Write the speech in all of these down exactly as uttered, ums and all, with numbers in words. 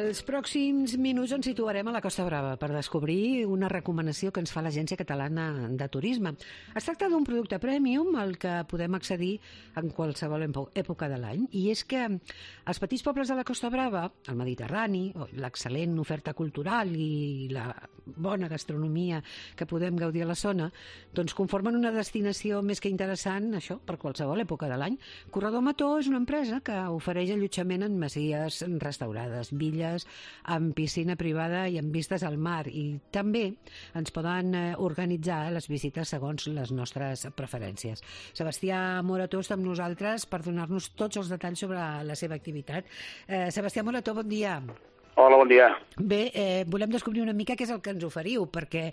Els pròxims minuts ens situarem a la Costa Brava per descobrir una recomanació que ens fa l'Agència Catalana de Turisme. Es tracta d'un producte premium al que podem accedir en qualsevol època de l'any, i és que els petits pobles de la Costa Brava, el Mediterrani, l'excel·lent oferta cultural i la bona gastronomia que podem gaudir a la zona, doncs conformen una destinació més que interessant, això, per qualsevol època de l'any. Corredor Mató és una empresa que ofereix allotjament en masies restaurades, villes amb piscina privada i amb vistes al mar, i també ens poden organitzar les visites segons les nostres preferències. Sebastià Morató està amb nosaltres per donar-nos tots els detalls sobre la seva activitat. Eh, Sebastià Morató, bon dia. Hola, bon dia. Bé, eh, volem descobrir una mica què és el que ens oferiu, perquè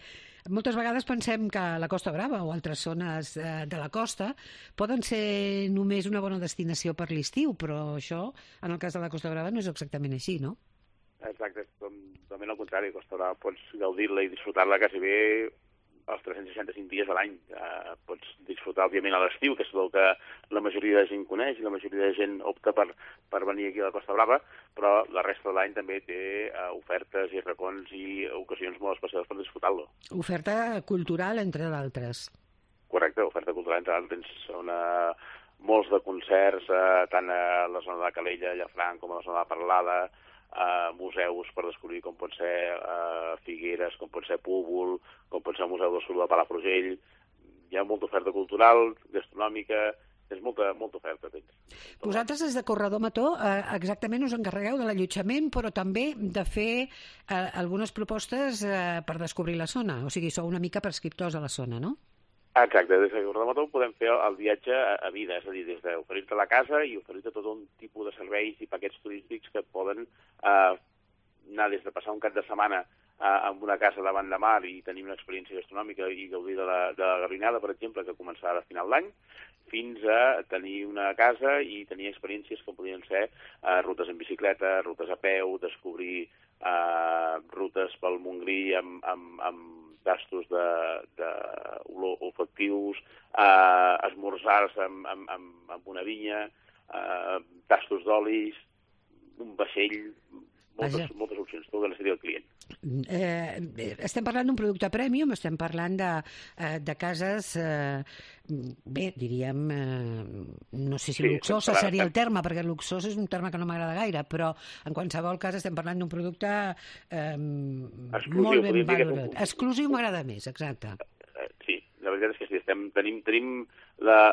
moltes vegades pensem que la Costa Brava o altres zones eh, de la costa poden ser només una bona destinació per l'estiu, però això, en el cas de la Costa Brava, no és exactament així, no? Exacte, és totalment al contrari. Costa Brava pots gaudir-la i disfrutar-la quasi bé els tres-cents seixanta-cinc dies de l'any. Eh, pots disfrutar, òbviament, a l'estiu, que és el que la majoria de gent coneix i la majoria de gent opta per, per venir aquí a la Costa Brava, però la resta de l'any també té eh, ofertes i racons i ocasions molt especials per disfrutar-lo. Oferta cultural, entre d'altres. Correcte, oferta cultural, entre d'altres. Tens una, molts de concerts, eh, tant a la zona de Calella, Llafranc, com a la zona de Parlada, Uh, museus per descobrir com pot ser uh, Figueres, com pot ser Púbol, com pot ser el Museu del Suro de Palafrugell. Hi ha molta oferta cultural, gastronòmica, és molta, molta oferta. Tens. Vosaltres, des de Corredor Mató, eh, exactament us encarregueu de l'allotjament, però també de fer eh, algunes propostes eh, per descobrir la zona. O sigui, sou una mica prescriptors a la zona, no? Exacte, des de Corredor Mató podem fer el viatge a vida, és a dir, des d'oferir-te la casa i oferir-te tot un tipus de serveis i paquets turístics que et poden eh, anar des de passar un cap de setmana eh, en una casa davant de mar i tenir una experiència gastronòmica i gaudir de la, de la Garrinada, per exemple, que començarà a final d'any, fins a tenir una casa i tenir experiències que podrien ser eh, rutes en bicicleta, rutes a peu, descobrir eh, rutes pel Montgrí amb, amb, amb tastos de, de olfactius, eh, esmorzars amb, amb, amb, amb una vinya, eh, tastos d'olis, un vaixell, moltes, moltes opcions, tot el que seria el client. Eh, estem parlant d'un producte premium, estem parlant de, eh, de cases, eh, bé, diríem, eh, no sé si sí, luxosa parlant, seria el terme, perquè luxós és un terme que no m'agrada gaire, però en qualsevol cas estem parlant d'un producte eh, molt ben valorat. Exclusiu m'agrada més, exacte. Sí, la veritat és que sí, estem, tenim, tenim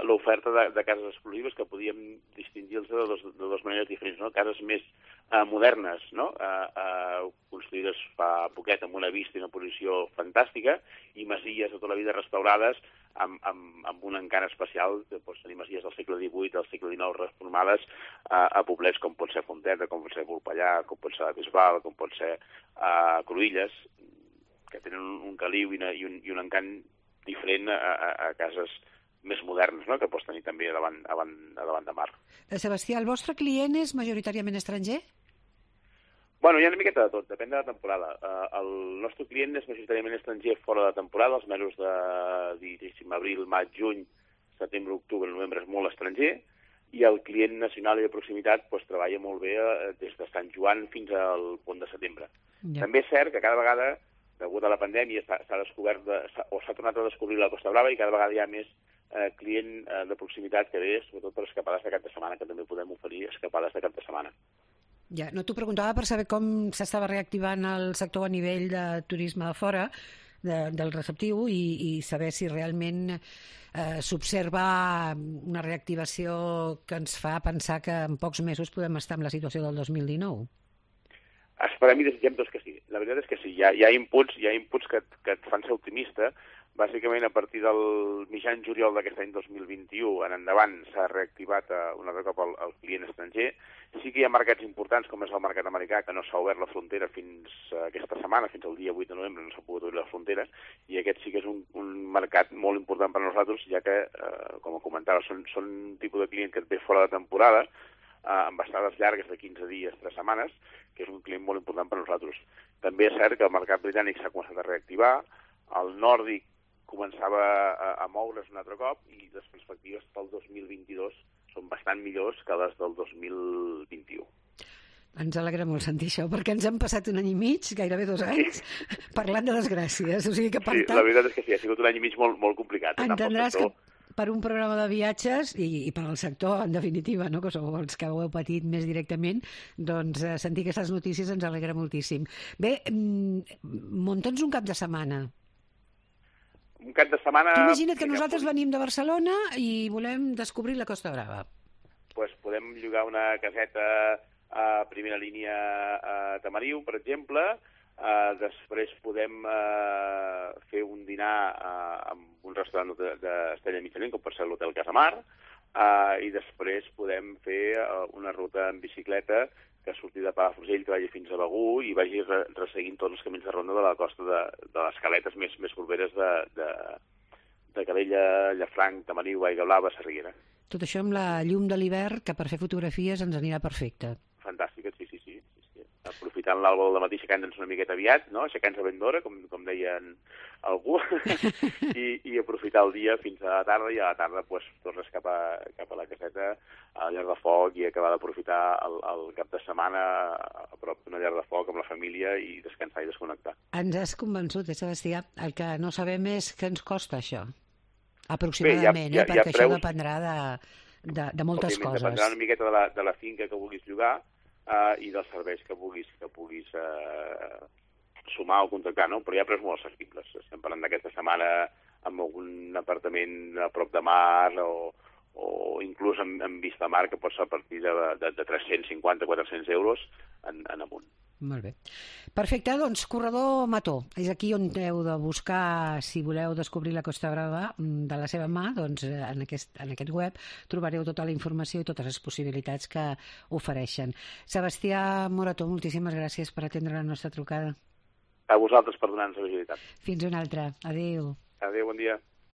l'oferta de, de cases exclusives que podíem distingir-los de, dos, de dues maneres diferents, no? Cases més eh, modernes, no? Eh, eh, construïdes fa poquet amb una vista i una posició fantàstica, i masies de tota la vida restaurades amb, amb, amb un encant especial, que pots tenir masies del segle divuit, del segle dinou reformades eh, a poblets com pot ser Fonteta, com pot ser Volpellà, com pot ser la Bisbal, com pot ser eh, Cruïlles, que tenen un, un caliu i, una, i, un, i un encant diferent a, a, a cases més modernes, no?, que pots tenir també a davant, a davant, a davant de mar. Sebastià, el vostre client és majoritàriament estranger? Bueno, hi ha una miqueta de tot, depèn de la temporada. Uh, el nostre client és majoritàriament estranger fora de temporada, els mesos de, diguéssim, abril, maig, juny, setembre, octubre, novembre és molt estranger, i el client nacional i de proximitat pues, treballa molt bé uh, des de Sant Joan fins al pont de setembre. Ja. També és cert que cada vegada, degut a la pandèmia, s'ha descobert de, o s'ha tornat a descobrir la Costa Brava, i cada vegada hi ha més eh, client eh, de proximitat que ve, sobretot per escapades de cap de setmana, que també podem oferir escapades de cap de setmana. Ja, no t'ho preguntava per saber com s'estava reactivant el sector a nivell de turisme de fora, de, del receptiu, i, i saber si realment eh, s'observa una reactivació que ens fa pensar que en pocs mesos podem estar en la situació del dos mil dinou. Esperem i desitgem tots que sí. La veritat és que sí. Hi ha, hi ha inputs, hi ha inputs que, et, que et fan ser optimista. Bàsicament, a partir del mitjan juliol d'aquest any dos mil vint-i-u en endavant s'ha reactivat uh, un altre cop el, el client estranger. Sí que hi ha mercats importants, com és el mercat americà, que no s'ha obert la frontera fins uh, aquesta setmana, fins al dia vuit de novembre no s'ha pogut obrir la frontera, i aquest sí que és un, un mercat molt important per a nosaltres, ja que, uh, com comentava, són, són un tipus de client que et ve fora de temporada, uh, amb estades llargues de quinze dies, tres setmanes, que és un client molt important per a nosaltres. També és cert que el mercat britànic s'ha començat a reactivar, el nòrdic començava a, a moure's un altre cop, i les perspectives pel dos mil vint-i-dos són bastant millors que les del dos mil vint-i-u. Ens alegra molt sentir això, perquè ens han passat un any i mig, gairebé dos anys, sí. parlant de desgràcies. O sigui que, per sí, tant, la veritat és que sí, ha sigut un any i mig molt, molt complicat. Entendràs que per un programa de viatges i, i per al sector, en definitiva, no? Que sou els que ho heu patit més directament, doncs eh, sentir aquestes notícies ens alegra moltíssim. Bé, munta'ns un cap de setmana. Un cap de setmana... Tu imagina't que nosaltres venim de Barcelona i volem descobrir la Costa Brava. Doncs pues podem llogar una caseta a primera línia a Tamariu, per exemple. Uh, després podem uh, fer un dinar uh, en un restaurant d'Estella Michelin, com per ser l'Hotel Casamar, uh, i després podem fer uh, una ruta en bicicleta que surti de Palafrugell, que vagi fins a Begur i vagi re resseguint tots els camins de ronda de la costa de, de les caletes més, més properes de, de, de Calella, Llafranc, Tamariu, Aigua Blava, Sarriera. Tot això amb la llum de l'hivern, que per fer fotografies ens anirà perfecte. Fantàstica, sí, sí, sí. Aprofitant l'alba del matí, aixecant-nos una miqueta aviat, no? Aixecant-nos ben d'hora, com, com deien algú, I, i aprofitar el dia fins a la tarda, i a la tarda pues, tornes cap a, cap a la caseta, a la llar de foc, i acabar d'aprofitar el, el cap de setmana a prop d'una llar de foc amb la família i descansar i desconnectar. Ens has convençut, eh, Sebastià? El que no sabem és què ens costa això, aproximadament, Bé, hi ha, hi ha, eh? perquè això preus... dependrà de, de, de moltes Òbviament, coses. Dependrà una miqueta de la, de la finca que vulguis llogar, Uh, i dels serveis que puguis, que puguis uh, sumar o contractar, no? Però hi ha preus molt assequibles. Estem parlant d'aquesta setmana amb algun apartament a prop de mar o, o inclús amb, amb vista mar, que pot ser a partir de, de, de tres-cents cinquanta a quatre-cents euros en, en amunt. Molt bé. Perfecte, doncs Corredor Mató. És aquí on heu de buscar, si voleu descobrir la Costa Brava de la seva mà, doncs en aquest, en aquest web trobareu tota la informació i totes les possibilitats que ofereixen. Sebastià Morató, moltíssimes gràcies per atendre la nostra trucada. A vosaltres per donar-nos la visibilitat. Fins una altra. Adéu. Adéu, bon dia.